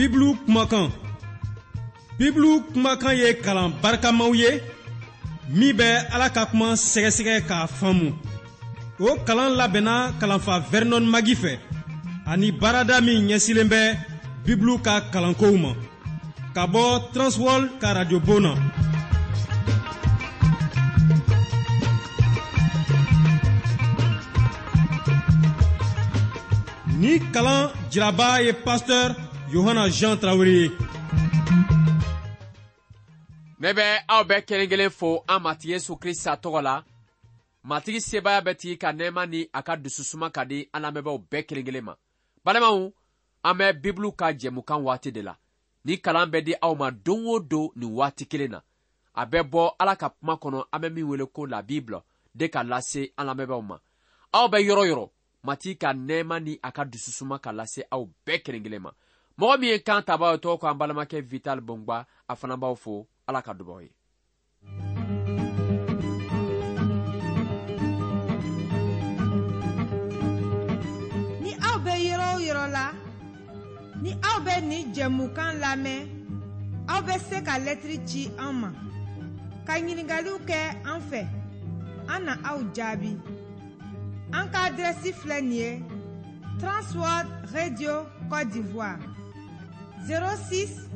Bibulu kumakan. Bibulu kumakan ye kalan barikamaw ye min bɛ Ala ka kuma sɛgɛsɛgɛ k'a faamu. O kalan labɛnna kalanfa Vernon Magi fɛ ani baarada min ɲɛsilen bɛ Bibulu ka kalankow ma ka bɔ Transworld ka radiobon na. Ni kalan jiraba ye pasteur Yohana Jean Tarawele ye. Ne bɛ aw bɛɛ kelen kelen fo an Matigi Yesu Krista tɔgɔ la. Matigi sebaaya bɛɛ tigi ka nɛɛma ni a ka dususuma ka di an lamɛnbaaw bɛɛ kelen kelen ma. Balimaw, an bɛ Bibulu ka jɛmukan waati de la. Ni kalan bɛ di aw ma don o don nin waati kelen na. A bɛ bɔ Ala ka kuma kɔnɔ an bɛ min wele ko la Bible de ka lase an lamɛnbaaw ma. Aw bɛ yɔrɔ yɔrɔ, Matigi ka nɛɛma ni a ka dususuma ka lase aw bɛɛ kelen kelen ma. Mɔgɔ min ye kan tabaa ye tɔgɔ ko an balimakɛ Vital Bongba, a fana b'aw fo. Ala ka dubaw ye. Ni aw bɛ yɔrɔ o yɔrɔ la, ni aw bɛ nin jɛmukan lamɛn, aw bɛ se ka lɛtiri ci an ma, ka ɲininkaliw kɛ an fɛ, an na aw jaabi. An ka adrɛsi filɛ nin ye Transworld Radio Côte d'Ivoire 06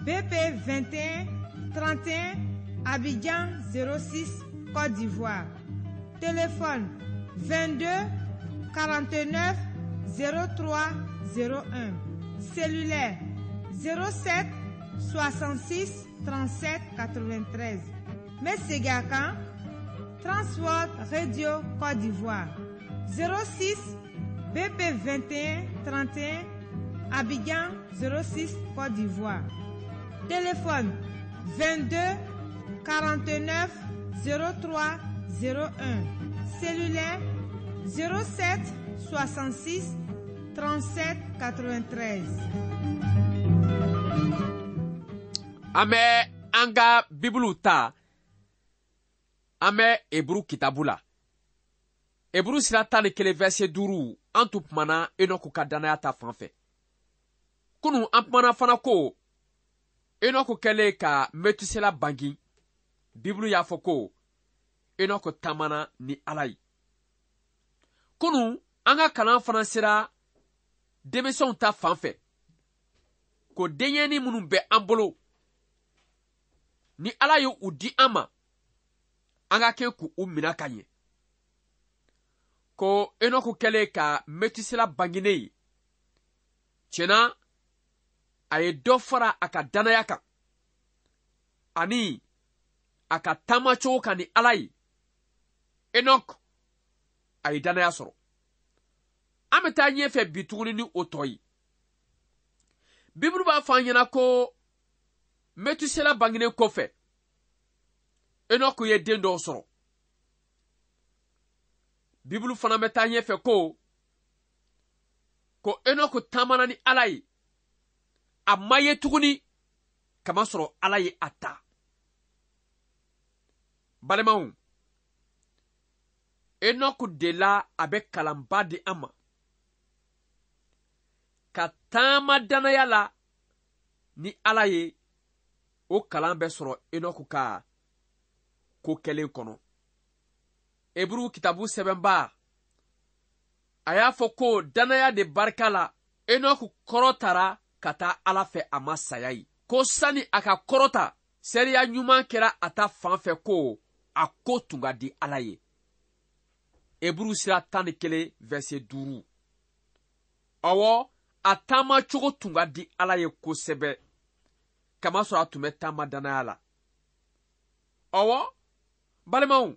BP 21 31 Abidjan 06 Côte d'Ivoire. Téléphone 22 49 03 01. Cellulaire 07 66 37 93. N bɛ segin a kan Transworld Radio Côte d'Ivoire 06 BP 21 31 Abidjan 06 Côte d'Ivoire. Téléphone 22 49 03 01. Cellulaire 07 66 37 93. An bɛ an ka Bibulu ta, an bɛ Eburu kitabu la. Eburu sira 11 verset 5, an tun kumana Enɔku ka dannaya ta fan fɛ. Kunu an kumana fana ko Enɔku kɛlen ka Metusela bangi, Bibulu y'a fɔ ko Enɔku taamana ni Ala ye. Kunu an ka kalan fana sera denmisɛnw ta fan fɛ, ko denyɛnin minnu bɛ an bolo ni Ala ye u di an ma, an ka kɛ k'u minɛ ka ɲɛ. Ko Enɔku kɛlen ka Metusela banginen ye, tiɲɛna a ye dɔ fara a ka dannaya kan ani a ka taamacogo kan ni Ala ye. Enɔku a ye dannaya sɔrɔ. An bɛ taa ɲɛfɛ bi tuguni ni o tɔ ye. Bibulu b'a fɔ an ɲɛna ko Metusela bangenen kɔfɛ, Enɔku ye den dɔw sɔrɔ. Bibulu fana bɛ taa ɲɛfɛ ko Enɔku taamana ni Ala ye, a ma ye tuguni kamasɔrɔ Ala ye a ta. Balimaw, Enɔku de la a bɛ kalanba di an ma ka taama dannaya la ni Ala ye. O kalan bɛ sɔrɔ Enɔku ka ko kɛlen kɔnɔ. Eburu kitabu sɛbɛnba a y'a fɔ ko dannaya de barika la Enɔku kɔrɔtara ka taa Ala fɛ, a ma saya ye. Ko sani a ka kɔrɔta, seereya ɲuman kɛra a ta fan fɛ ko a ko tun ka di Ala ye. Eburu sira 11 verset 5. Ɔwɔ, a taama cogo tun ka di Ala ye kosɛbɛ, kamasɔrɔ a tun bɛ taama dannaya la. Ɔwɔ, balimaw,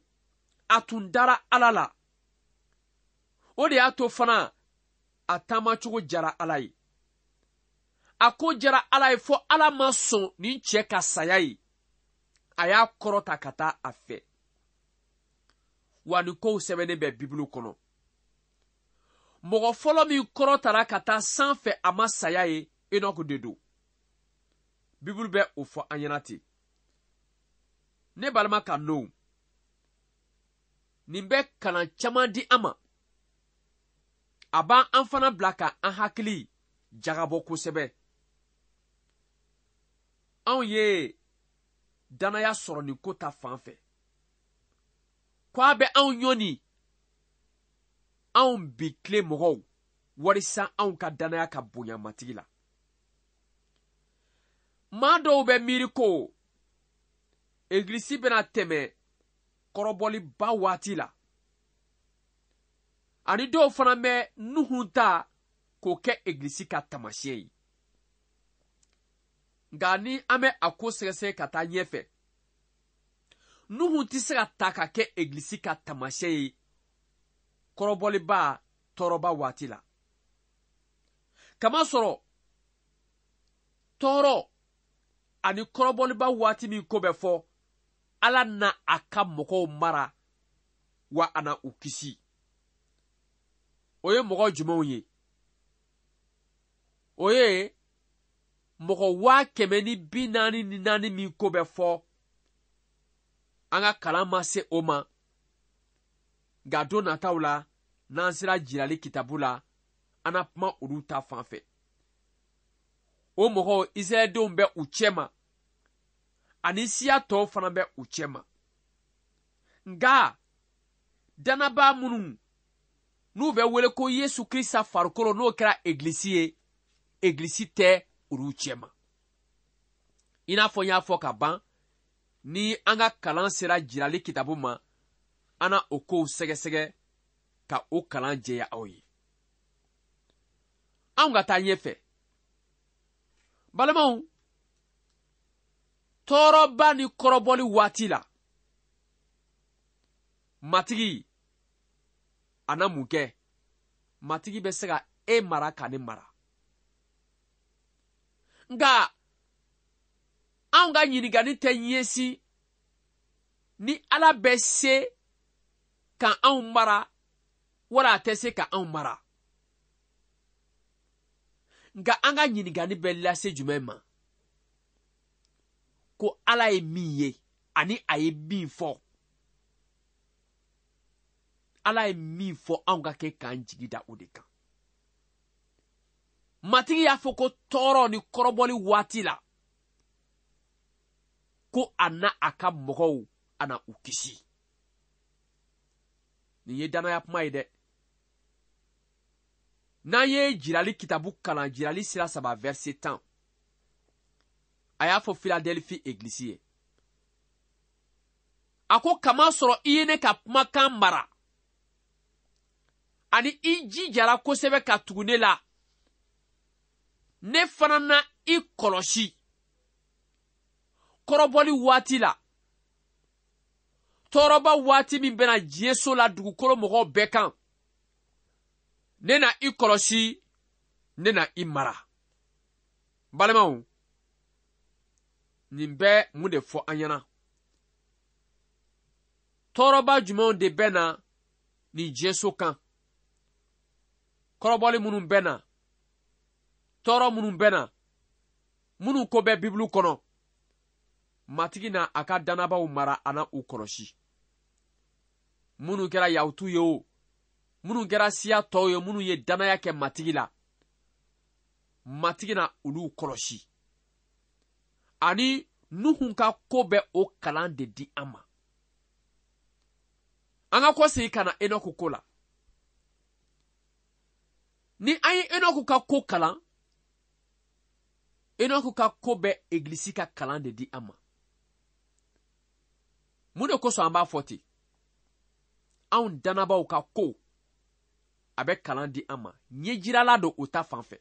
a tun dara Ala la. O de y'a to fana a taama cogo jara Ala ye. A ko jara Ala ye fo Ala ma sɔn nin cɛ ka saya ye. A y'a kɔrɔta ka taa a fɛ. Wa nin kow sɛbɛnnen bɛ Bibulu kɔnɔ. Mɔgɔ fɔlɔ min kɔrɔtara ka taa sanfɛ a ma saya ye, Enɔku de don. Bibulu bɛ o fɔ an ɲɛna ten. Ne balima ka n'o, nin bɛ kalan caman di an ma. A b'an an fana bila ka an hakili jagabɔ kosɛbɛ. Anw ye dannaya sɔrɔ nin ko ta fan fɛ ko a bɛ anw ɲɔni anw bi tile mɔgɔw walisa anw ka dannaya ka bonya matigi la. Maa dɔw bɛ miiri ko egilisi bɛna tɛmɛ kɔrɔbɔliba waati la, ani dɔw fana bɛ Nuhun ta k'o kɛ egilisi ka taamasiyɛn ye. Nka ni an bɛ a ko sɛgɛsɛgɛ ka taa ɲɛfɛ, Nuhun tɛ se ka ta ka kɛ egilisi ka taamasiyɛn ye kɔrɔbɔliba tɔɔrɔba waati la. Kamasɔrɔ tɔɔrɔ ani kɔrɔbɔliba waati min ko bɛ fɔ, Ala na a ka mɔgɔw mara wa a na u kisi. O ye mɔgɔ jumɛnw ye? O ye mɔgɔ 144,000 min ko bɛ fɔ. An ka kalan ma se o ma, nka don nataw la n'an sera jirali kitabu la, an na kuma olu ta fan fɛ. O mɔgɔw Israɛldenw bɛ u cɛma, ani siya tɔw fana bɛ u cɛma. Nka dannabaa minnu n'u bɛ wele ko Yesu Krista farikolo, n'o kɛra egilisi ye, egilisi tɛ olu cɛma. I n'a fɔ n y'a fɔ ka ban, ni an ka kalan sera jirali kitabu ma, an na o kow sɛgɛsɛgɛ ka o kalan jɛya aw ye. Anw ka taa ɲɛfɛ. Balimaw, tɔɔrɔba ni kɔrɔbɔli waati la, Matigi a na mun kɛ? Matigi bɛ se ka e mara ka ne mara. Nka anw ka ɲininkali tɛ ɲɛsin ni Ala bɛ se ka anw mara wala a tɛ se ka anw mara. Nka an ka ɲininkali bɛ lase jumɛn ma? Ko Ala ye min ye ani a ye min fɔ. Ala ye min fɔ, anw ka kɛ k'an jigi da o de kan. Matigi y'a fɔ ko tɔɔrɔ ni kɔrɔbɔli waati la, ko a na a ka mɔgɔw, a na u kisi. Nin ye dannaya kuma ye dɛ. N'an ye jirali kitabu kalan, jirali sira 3 verset 10, a y'a fɔ Filadelfi egilisi ye, a ko kamasɔrɔ i ye ne ka kumakan mara ani i jijara kosɛbɛ ka tugu ne la, ne fana na i kɔlɔsi kɔrɔbɔli waati la, tɔɔrɔba waati min bɛna diɲɛso la dugukolo mɔgɔw bɛɛ kan. Ne na i kɔlɔsi, ne na i mara. Balimaw, nin bɛ mun de fɔ an ɲɛna? Tɔɔrɔba jumɛnw de bɛ na nin diɲɛso kan? Kɔrɔbɔli minnu bɛ na, tɔɔrɔ minnu bɛ na, minnu ko bɛ Bibulu kɔnɔ, Matigi na a ka dannabaw mara, a na u kɔlɔsi. Minnu kɛra Yahutu ye o, minnu kɛra siya tɔw ye, minnu ye dannaya kɛ Matigi la, Matigi na olu kɔlɔsi. Ani Nuhun ka ko bɛ o kalan de di an ma. An ka kɔsegin ka na Enɔku ko la. Ni an ye Enɔku ka ko kalan, Enɔku ka ko bɛ egilisi ka kalan de di an ma. Mun de kosɔn an b'a fɔ ten? Anw dannabaw ka ko a bɛ kalan di an ma. Ɲɛjirala don o ta fan fɛ.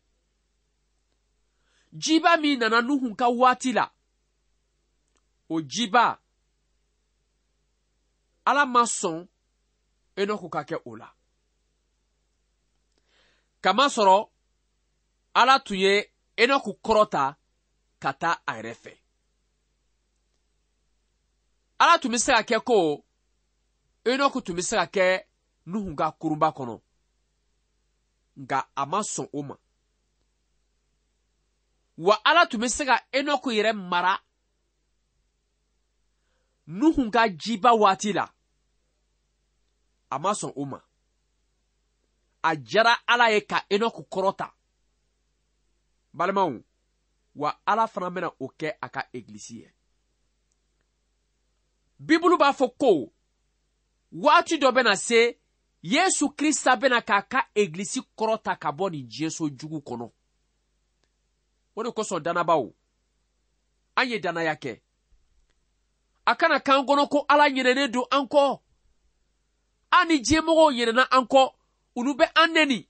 Jiba min nana Nuhun ka waati la, o jiba Ala ma sɔn Enɔku ka kɛ o la. Kamasɔrɔ Ala tun ye Enɔku kɔrɔta ka taa a yɛrɛ fɛ. Ala tun bɛ se ka kɛ ko Enɔku tun bɛ se ka kɛ Nuhun ka kurunba kɔnɔ, nka a ma sɔn o ma. Wa Ala tun bɛ se ka Enɔku yɛrɛ mara Nuhun ka jiba waati la, a ma sɔn o ma. A diyara Ala ye ka Enɔku kɔrɔta. Balimaw, Wa Ala fana bɛna o kɛ a ka egilisi ye. Bibulu b'a fɔ ko waati dɔ bɛna se, Yesu Krista bɛna k'a ka egilisi kɔrɔta ka bɔ nin diɲɛso jugu kɔnɔ. O de kosɔn dannabaw, an ye dannaya kɛ. A kana k'an kɔnɔ ko Ala ɲinɛnen don an kɔ. An ni diɲɛmɔgɔw ɲinɛna an kɔ, olu bɛ an neni.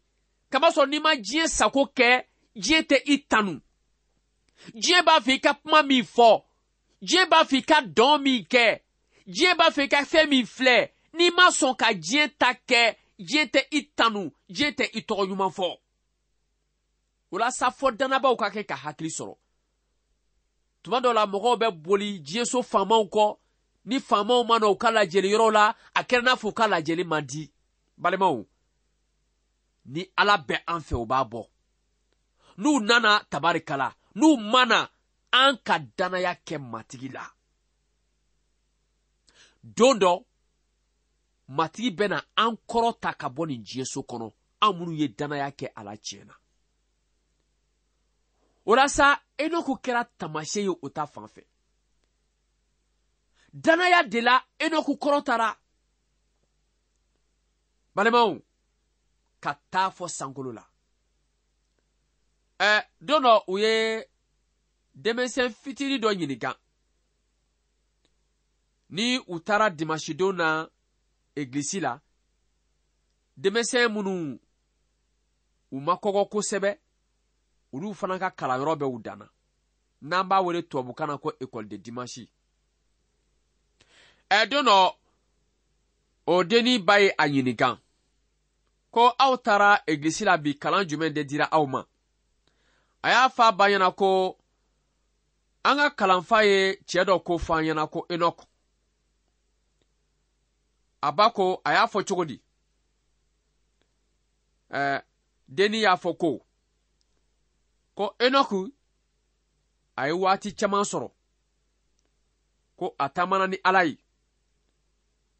Kamasɔrɔ n'i ma diɲɛ sago kɛ, diɲɛ tɛ i tanu. Diɲɛ b'a fɛ i ka kuma min fɔ, diɲɛ b'a fɛ i ka dɔn min kɛ, diɲɛ b'a fɛ i ka fɛn min filɛ, n'i ma sɔn ka diɲɛ ta kɛ, diɲɛ tɛ i tanu, diɲɛ tɛ i tɔgɔ ɲuman fɔ. O la sa, fɔ dannabaw ka kɛ ka hakili sɔrɔ. Tuma dɔ la, mɔgɔw bɛ boli diɲɛso faamaw kɔ. Ni faamaw ma na u ka lajɛli yɔrɔ la, a kɛra n'a fɔ u ka lajɛli man di. Balimaw, ni Ala bɛ an fɛ, u b'a bɔ. N'u nana, tabarikala. N'u ma na, an ka dannaya kɛ Matigi la. Don dɔ, Matigi bɛna an kɔrɔta ka bɔ nin diɲɛso kɔnɔ, an minnu ye dannaya kɛ a la tiɲɛ na. O la sa, Enoku kɛra taamasiyɛn ye o ta fan fɛ. Dannaya de la Enoku kɔrɔtara. Balimaw, ka taa fɔ sankolo la. Don dɔ, u ye denmisɛn fitinin dɔ ɲininka. Ni u taara dimanche na egilisi la, denmisɛn minnu u ma kɔgɔ kosɛbɛ, olu fana ka kalanyɔrɔ bɛ u danna, n'an b'a wele tubabukan na ko école de dimanche. Don dɔ, o dennin ba ye a ɲininka ko aw taara egilisi la bi, kalan jumɛn de dira aw ma? A y'a fɔ a ba ɲɛna ko an ka kalanfa ye cɛɛ dɔ ko fɔ an ɲɛna ko Enɔk. A ba ko a y'a fɔ cogo di? Dennin y'a fɔ ko Enɔku a ye waati caman sɔrɔ, ko a taamana ni Ala ye,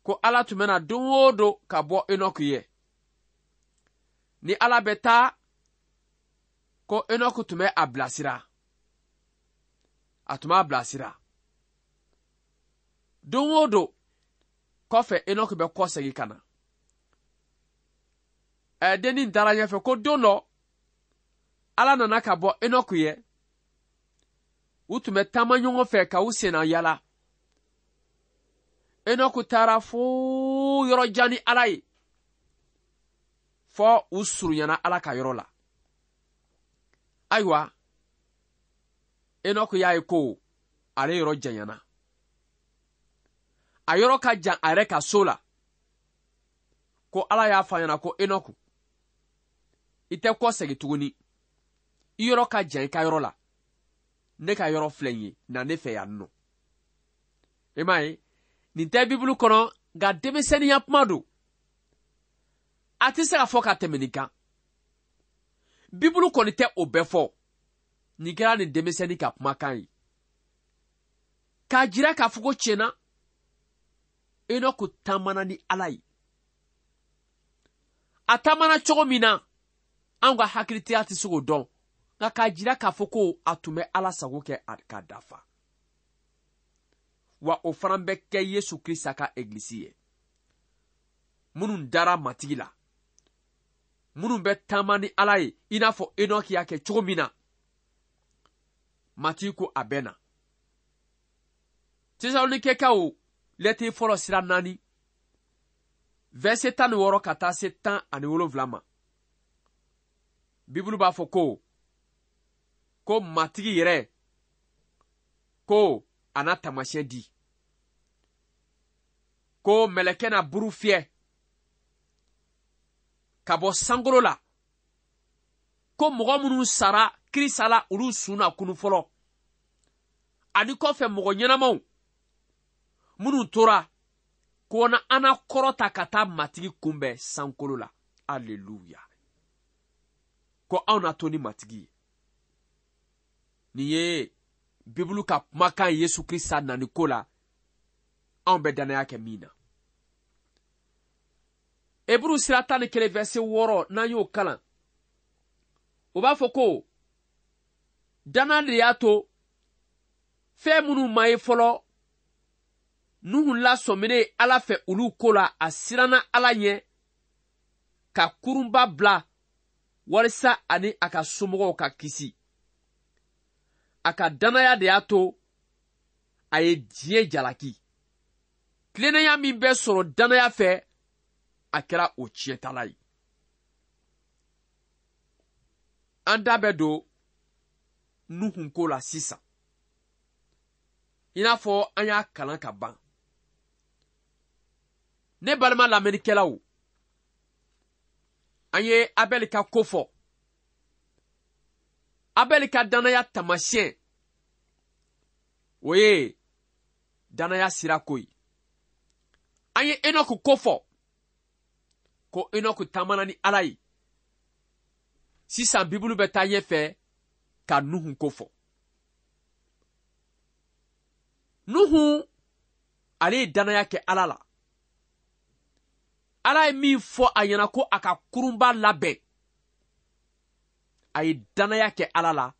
ko Ala tun bɛna don o don ka bɔ Enɔku ye. Ni Ala bɛ taa, ko Enɔku tun bɛ a bilasira, a tun b'a bilasira don o don. Kɔfɛ, Enɔku bɛ kɔsegin ka na. Dennin taara ɲɛfɛ ko don dɔ, Ala nana ka bɔ Enɔku ye. U tun bɛ taama ɲɔgɔn fɛ ka u senna yala. Enɔku taara fo yɔrɔ jan ni Ala ye, fɔ u surunyana Ala ka yɔrɔ la. Ayiwa, Enɔku y'a ye ko ale yɔrɔ janyana, a yɔrɔ ka jan a yɛrɛ ka so la. Ko Ala y'a fɔ a ɲɛna ko Enɔku, i tɛ kɔ segin tuguni, i yɔrɔ ka jan i ka yɔrɔ la, ne ka yɔrɔ filɛ nin ye, na ne fɛ yan nɔ. I m'a ye, nin tɛ Bibulu kɔnɔ, nka denmisɛnninya kuma don, a tɛ se ka fɔ ka tɛmɛ nin kan. Bibulu kɔni tɛ o bɛɛ fɔ. Nin kɛra nin denmisɛnnin ka kumakan ye k'a jira k'a fɔ ko tiɲɛna, Enɔku taamana ni Ala ye. A taamana cogo min na, anw ka hakilitigiya tɛ se k'o dɔn, nka k'a jira k'a fɔ ko a tun bɛ Ala sago kɛ ka dafa. Wa o fana bɛ kɛ Yesu Krista ka egilisi ye, minnu dara Matigi la, minnu bɛ taama ni Ala ye i n'a fɔ Enɔki y'a kɛ cogo min na. Matigi ko a bɛ na. Tesalonikɛkaw lɛtiri fɔlɔ sira 4, verset 16 ka taa se 17 ma, Bibulu b'a fɔ ko Matigi yɛrɛ ko a na taamasiyɛn di, ko mɛlɛkɛ na buru fiyɛ ka bɔ sankolo la, ko mɔgɔ minnu sara Kirisa la, olu sun na kunu fɔlɔ, ani kɔfɛ mɔgɔ ɲɛnamaw minnu tora, ko na an na kɔrɔta ka taa Matigi kunbɛn sankolo la. Aleluya! Ko anw na to ni Matigi ye. Nin ye Bibulu ka kumakan Yesu Krista nani ko la, anw bɛ dannaya kɛ min na. Eburu sira 11 verset 6, n'an y'o kalan, o b'a fɔ ko Danna de y'a to fɛn minnu ma ye fɔlɔ, Nuhu lasɔminen Ala fɛ olu ko la, a siranna Ala ɲɛ ka kurunba bila walisa ani a ka somɔgɔw ka kisi. A ka dannaya de y'a to a ye diɲɛ jalaki. Tilennenya min bɛ sɔrɔ dannaya fɛ, a kɛra o tiɲɛtala ye. An da bɛ don Nuhu ko la sisan. I n'a fɔ an y'a kalan ka ban. Ne balima lamɛnnikɛlaw, an ye Abɛli ka ko fɔ. Abɛli ka dannaya taamasiyɛn, o ye dannaya sira ko ye. An ye Enɔku ko fɔ, ko Enɔku taamana ni Ala ye. Sisan Bibulu bɛ taa ɲɛfɛ ka Nuhu ko fɔ. Nuhu, ale ye dannaya kɛ Ala la. Ala ye min fɔ a ɲɛna ko a ka kurunba labɛn, a ye dannaya kɛ Ala la,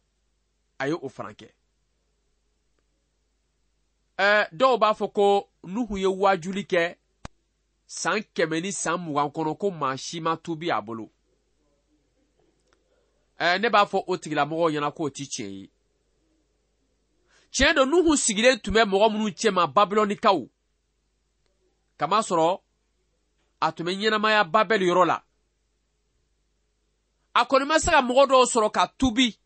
a ye o fana kɛ. Dɔw b'a fɔ ko Nuhu ye waajuli kɛ san 120 kɔnɔ ko maa si ma tuubi a bolo. Ne b'a fɔ o tigilamɔgɔw ɲɛna k'o ti tiɲɛ ye. Tiɲɛ don, Nuhu sigilen tun bɛ mɔgɔ minnu cɛma, Babilɔnikaw, kamasɔrɔ a tun bɛ ɲɛnamaya Babɛli yɔrɔ la. A kɔni ma se ka mɔgɔ dɔw sɔrɔ ka tuubi,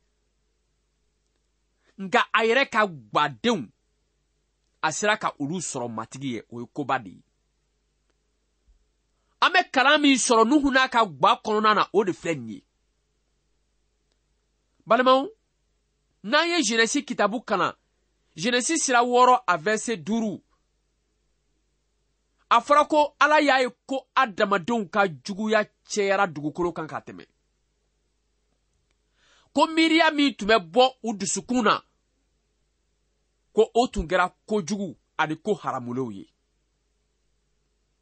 nka a yɛrɛ ka gwadenw, a sera ka olu sɔrɔ Matigi ye. O ye koba de ye. An bɛ kalan min sɔrɔ Nuhu n'a ka gwa kɔnɔna na, o de filɛ nin ye. Balimaw, n'an ye Genesi kitabu kalan, Genesi sira 6 a verset 5, a fɔra ko Ala y'a ye ko adamadenw ka juguya cɛyara dugukolo kan ka tɛmɛ. Ko miiriya min tun bɛ bɔ u dusukun na, ko o tun kɛra kojugu ani ko haramulenw ye.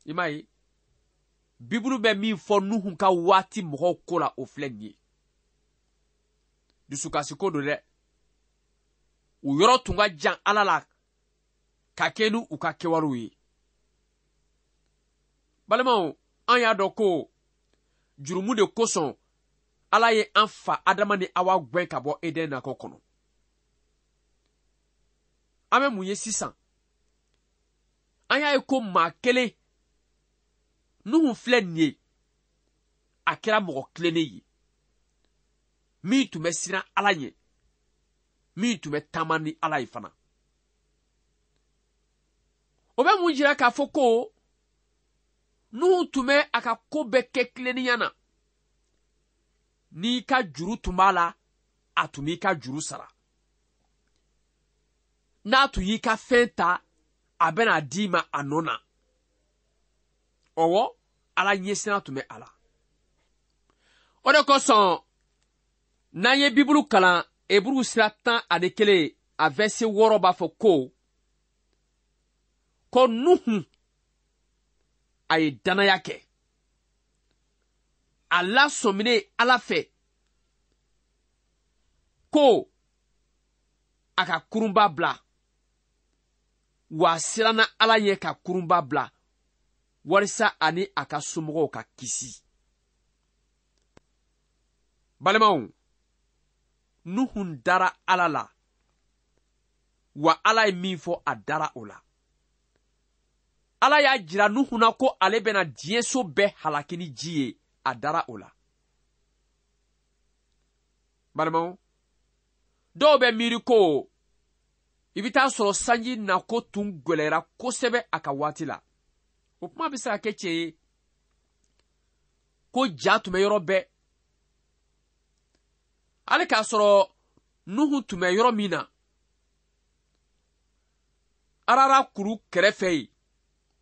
I m'a ye, Bibulu bɛ min fɔ Nuhu ka waati mɔgɔw ko la, o filɛ nin ye. Dusukasi ko don dɛ. U yɔrɔ tun ka jan Ala la ka kɛ ni u ka kɛwalew ye. Balimaw, an y'a dɔn ko jurumu de kosɔn Ala ye an fa Adama ni Awa gɛn ka bɔ Eden nakɔ kɔnɔ. An bɛ mun ye sisan? An y'a ye ko maa kelen, Nuhu filɛ nin ye, a kɛra mɔgɔ tilennen ye, min tun bɛ siran Ala ɲɛ, min tun bɛ taama ni Ala ye fana. O bɛ mun jira k'a fɔ ko Nuhu tun bɛ a ka ko bɛɛ kɛ tilennenya na. N'i ka juru tun b'a la, a tun b'i ka juru sara. N'a tun y'i ka fɛn ta, a bɛna d'i ma a nɔ na. Ɔwɔ, Ala ɲɛsiran tun bɛ a la. O de kosɔn, n'an ye Bibulu kalan, Eburu sira 11, a verset 6 b'a fɔ ko Nuhu, a ye dannaya kɛ. A lasɔminen Ala fɛ ko a ka kurunba bila, wa a siranna Ala ɲɛ ka kurunba bila walisa ani a ka somɔgɔw ka kisi. Balimaw, Nuhu dara Ala la, wa Ala ye min fɔ, a dara o la. Ala y'a jira Nuhu na ko ale bɛna diɲɛso bɛɛ halaki ni ji ye, a dara o la. Balimaw, dɔw bɛ miiri ko i bɛ taa sɔrɔ sanji nako tun gwɛlɛyara kosɛbɛ a ka waati la. O kuma bɛ se ka kɛ tiɲɛ ye, ko ja tun bɛ yɔrɔ bɛɛ. Hali k'a sɔrɔ Nuhu tun bɛ yɔrɔ min na, Arara kuru kɛrɛfɛ yen,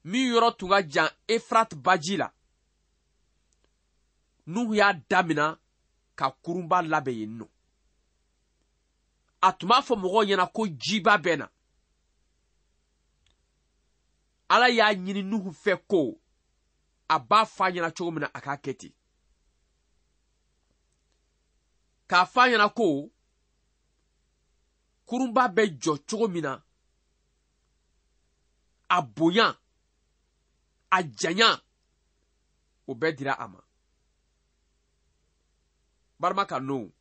min yɔrɔ tun ka jan Efrat baji la, Nuhu y'a damina ka kurunba labɛn yen nɔ. A tun b'a fɔ mɔgɔw ɲɛna ko jiba bɛ na. Ala y'a ɲini Nuhu fɛ ko a b'a fɔ a ɲɛna cogo min na, a k'a kɛ ten. K'a fɔ a ɲɛna ko Kurunba bɛ jɔ cogo min na, a bonya, a janya, o bɛɛ dira a ma. Barima ka no,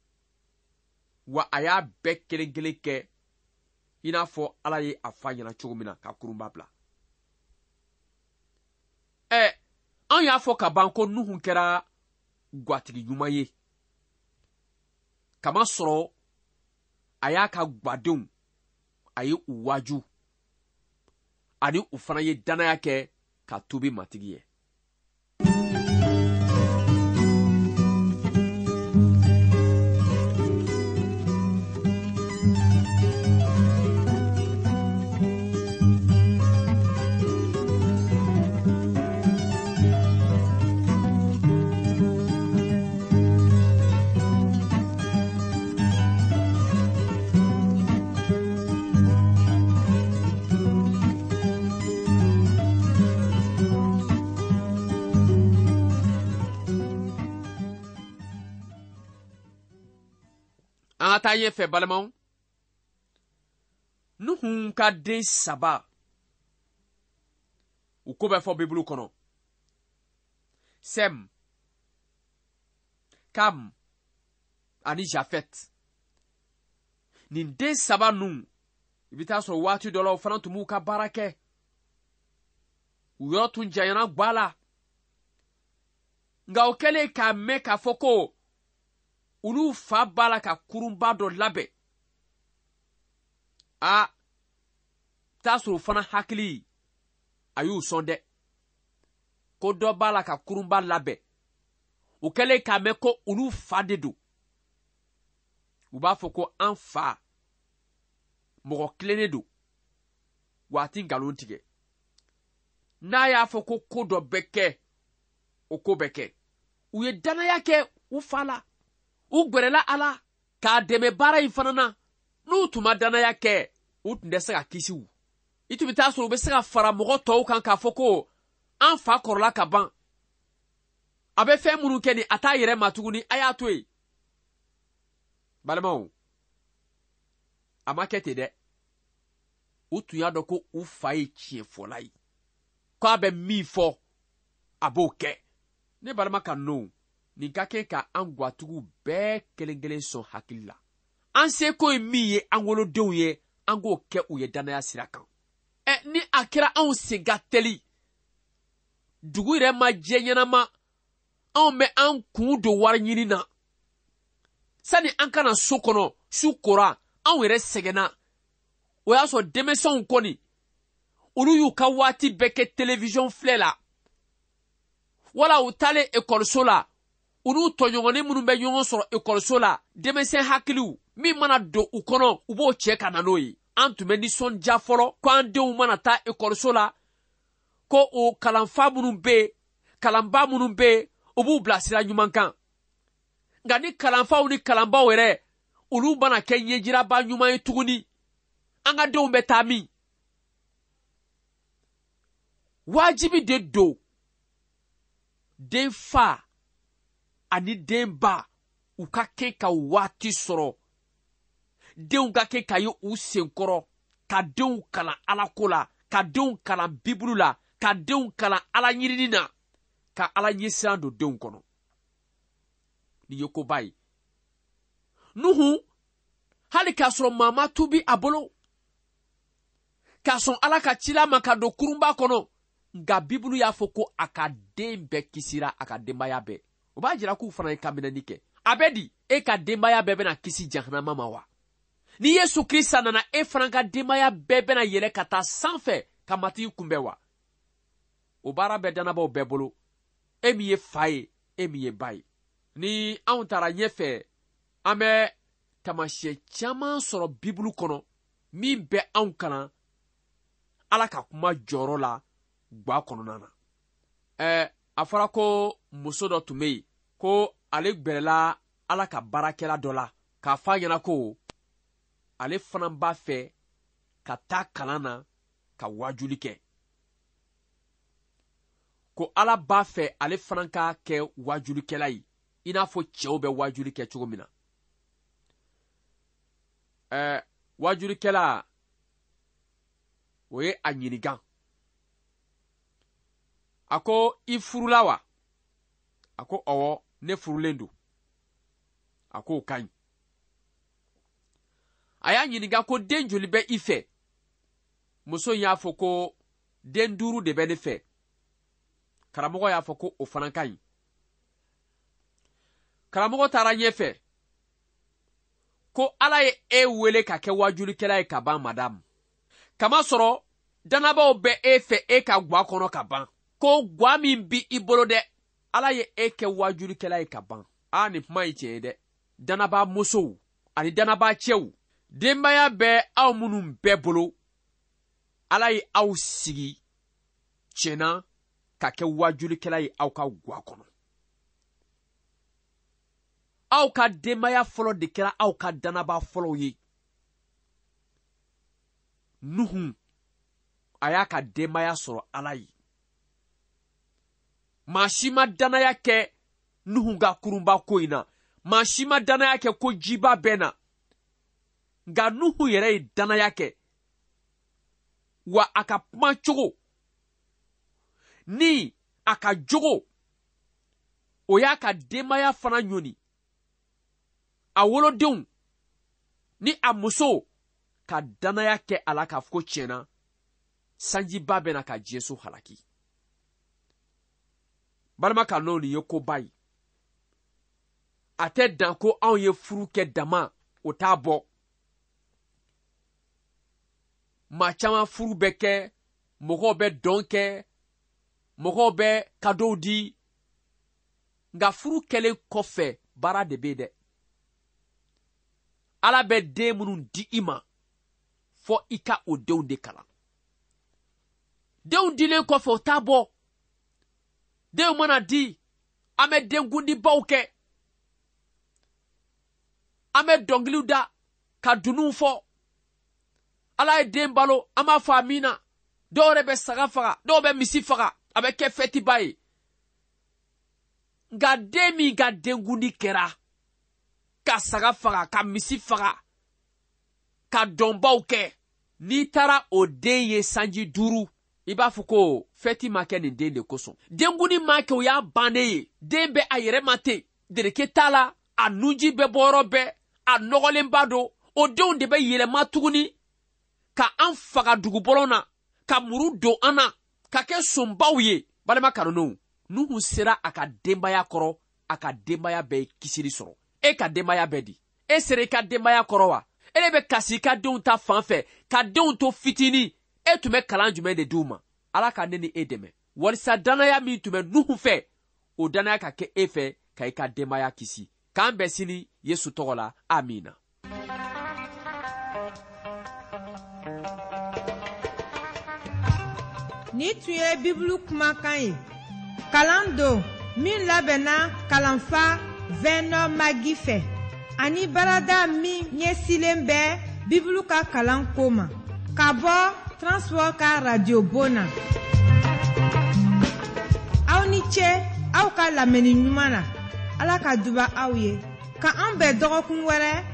wa a y'a bɛɛ kelen kelen kɛ i n'a fɔ Ala ye a f'a ɲɛna cogo min na ka kurunba bila. An y'a fɔ ka ban ko Nuhu kɛra gwatigi ɲuman ye. Kamasɔrɔ a y'a ka gwadenw, a ye u waaju, ani u fana ye dannaya kɛ ka tuubi Matigi ye. An ka taa ɲɛfɛ balimaw. Nuhu ka den saba, u ko bɛ fɔ Bibulu kɔnɔ. Sɛm, Kam ani Jafɛt. Nin den saba ninnu, i bɛ taa sɔrɔ waati dɔ la u fana tun b'u ka baara kɛ. U yɔrɔ tun janyana gwa la. Nka o kɛlen k'a mɛn k'a fɔ ko olu fa b'a la ka kurunba dɔ labɛn, a t'a sɔrɔ o fana hakili a y'u sɔn dɛ, ko dɔ b'a la ka kurunba labɛn. O kɛlen k'a mɛn ko olu fa de don, u b'a fɔ ko an fa mɔgɔ tilennen don, wa a ti nkalon tigɛ. N'a y'a fɔ ko ko dɔ bɛ kɛ, o ko bɛ kɛ. U ye dannaya kɛ u fa la, u gwɛrɛla a la k'a dɛmɛ baara in fana na. N'u tun ma dannaya kɛ, u tun tɛ se ka kisi u. I tun bɛ taa sɔrɔ u bɛ se ka fara mɔgɔ tɔw kan k'a fɔ ko an fa kɔrɔla ka ban, a bɛ fɛn minnu kɛ nin, a t'a yɛrɛ ma tuguni, a y'a to yen. Balimaw, a ma kɛ ten dɛ. U tun y'a dɔn ko u fa ye tiɲɛfɔla ye, k'a bɛ min fɔ a b'o kɛ. Ne balima ka nɔw, nin ka kɛ ka an gwatigiw bɛɛ kelen kelen sɔn hakili la. An seko ye min ye an wolodenw ye, an k'o kɛ u ye dannaya sira kan. Ni a kɛra anw sen ka teli, dugu yɛrɛ ma jɛ ɲɛnama, anw bɛ an kun don wari ɲini na. Sani an ka na so kɔnɔ, su kora, anw yɛrɛ sɛgɛnna. O y'a sɔrɔ denmisɛnw kɔni, olu y'u ka waati bɛɛ kɛ télévision filɛ la. Wala u taalen ekɔliso la, u n'u tɔɲɔgɔnnin minnu bɛ ɲɔgɔn sɔrɔ ekɔliso la, denmisɛn hakiliw min mana don u kɔnɔ, u b'o cɛ ka na n'o ye. An tun bɛ nisɔndiya fɔlɔ ko an denw mana taa ekɔliso la, ko o kalanfa minnu bɛ yen, kalanba minnu bɛ yen, u b'u bila sira ɲuman kan. Nka ni kalanfaw ni kalanbaw yɛrɛ, olu mana kɛ ɲɛjiraba ɲuman ye tuguni, an ka denw bɛ taa min? Wajibi de don den fa ani den ba u ka kɛ ka waati sɔrɔ, denw ka kɛ ka ye u senkɔrɔ, ka denw kalan Ala ko la, ka denw kalan Bibulu la, ka denw kalan Ala ɲinini na, ka Ala ɲɛsiran don denw kɔnɔ. Nin ye koba ye. Nuhu, hali k'a sɔrɔ maa ma tuubi a bolo, k'a sɔn Ala ka cila ma ka don kurunba kɔnɔ, nka Bibulu y'a fɔ ko a ka den bɛɛ kisira, a ka denbaya bɛɛ. O b'a jira k'u fana ye kanminɛni kɛ. A bɛ di, e ka denbaya bɛɛ bɛna kisi jahanama ma wa? Ni Yesu Krista nana, e fana ka denbaya bɛɛ bɛna yɛlɛ ka taa sanfɛ ka Matigi kunbɛn wa? O baara bɛ dannabaw bɛɛ bolo. E min ye fa ye, e min ye ba ye. Ni anw taara ɲɛfɛ, an bɛ taamasiyɛn caman sɔrɔ Bibulu kɔnɔ min bɛ anw kalan Ala ka kuma jɔyɔrɔ la gwa kɔnɔna na. A fɔra ko muso dɔ tun bɛ yen ko ale gbɛrɛla Ala ka baarakɛla dɔ la k'a fɔ a ɲɛna ko ale fana b'a fɛ ka taa kalan na ka waajuli kɛ, ko Ala b'a fɛ ale fana ka kɛ waajulikɛla ye i n'a fɔ cɛw bɛ waajuli kɛ cogo min na. Wajulikɛla o ye a ɲininka. A ko i furula wa? A ko ɔwɔ, ne furulen don. A k'o ka ɲi. A y'a ɲininka ko den joli bɛ i fɛ? Muso in y'a fɔ ko den duuru de bɛ ne fɛ. Karamɔgɔ y'a fɔ ko o fana ka ɲi. Karamɔgɔ taara ɲɛfɛ ko Ala ye e wele ka kɛ wajulikɛla ye ka ban madamu. Kamasɔrɔ dannabaw bɛ e fɛ e ka gwa kɔnɔ ka ban. Ko gwa min bi i bolo dɛ, Ala ye e kɛ wajulikɛla ye ka ban. Aa nin kuma ye tiɲɛ ye dɛ. Dannaba musow ani dannaba cɛw, denbaya bɛ aw minnu bɛɛ bolo, Ala ye aw sigi tiɲɛna ka kɛ wajulikɛla ye aw ka gwa kɔnɔ. Aw ka denbaya fɔlɔ de kɛra aw ka dannaba fɔlɔw ye. Nuhu a y'a ka denbaya sɔrɔ Ala ye. Maa si ma dannaya kɛ Nuhu ka kurunba ko in na. Maa si ma dannaya kɛ ko jiba bɛ na. Nka Nuhu yɛrɛ ye dannaya kɛ. Wa a ka kuma cogo ni a ka jogo, o y'a ka denbaya fana ɲɔni. A wolodenw ni a muso ka dannaya kɛ a la k'a fɔ ko tiɲɛna sanjiba bɛna ka diɲɛso halaki. Balima kan'o nin ye koba ye. A tɛ dan ko anw ye furu kɛ dama, o t'a bɔ. Maa caman furu bɛ kɛ, mɔgɔw bɛ dɔn kɛ, mɔgɔw bɛ kadow di. Nka furu kɛlen kɔfɛ baara de bɛ yen dɛ. Ala bɛ den minnu di i ma, fɔ i ka o denw de kalan. Denw dilen kɔfɛ o t'a bɔ. Denw mana di, an bɛ denkundibaw kɛ. An bɛ dɔnkiliw da ka dununw fɔ. Ala ye den balo, an b'a fɔ amina. Dɔw yɛrɛ bɛ saga faga, dɔw bɛ misi faga, a bɛ kɛ fɛtiba ye. Nka den min ka denkundi kɛra, ka saga faga, ka misi faga, ka dɔnbaw kɛ, n'i taara o den ye sanji duuru, i b'a fɔ ko fɛti ma kɛ nin den de kosɔn. Denkundi ma kɛ, o y'a bannen ye. Den bɛ a yɛrɛ ma ten, dereke t'a la, a nunji bɛ bɔ yɔrɔ bɛɛ, a nɔgɔlenba don. O denw de bɛ yɛlɛma tuguni ka an faga dugubɔlɔn na, ka muru don an na, ka kɛ sonbaw ye. Balima kanulenw, Nuhu sera a ka denbaya kɔrɔ, a ka denbaya bɛɛ ye kisili sɔrɔ. E ka denbaya bɛɛ di? E sera i ka denbaya kɔrɔ wa? E de bɛ kasi i ka denw ta fan fɛ, ka denw to fitinin. E tun bɛ kalan jumɛn de di u ma? Ala ka ne ni e dɛmɛ walisa dannaya min tun bɛ Nuhu fɛ, o dannaya ka kɛ e fɛ ka i ka denbaya kisi. K'an bɛn sini Yesu tɔgɔ la, amina. Ni tun ye Bibulu kumakan ye. Kalan don min labɛnna kalanfa Vɛnɔ Magi fɛ ani baarada min ɲɛsilen bɛ Bibulu ka kalan ko ma ka bɔ Transworld ka radio bon na. Aw ni ce aw ka lamɛnni ɲuman na. Ala ka duba aw ye. Ka an bɛn dɔgɔkun wɛrɛ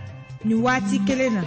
nin waati kelen na.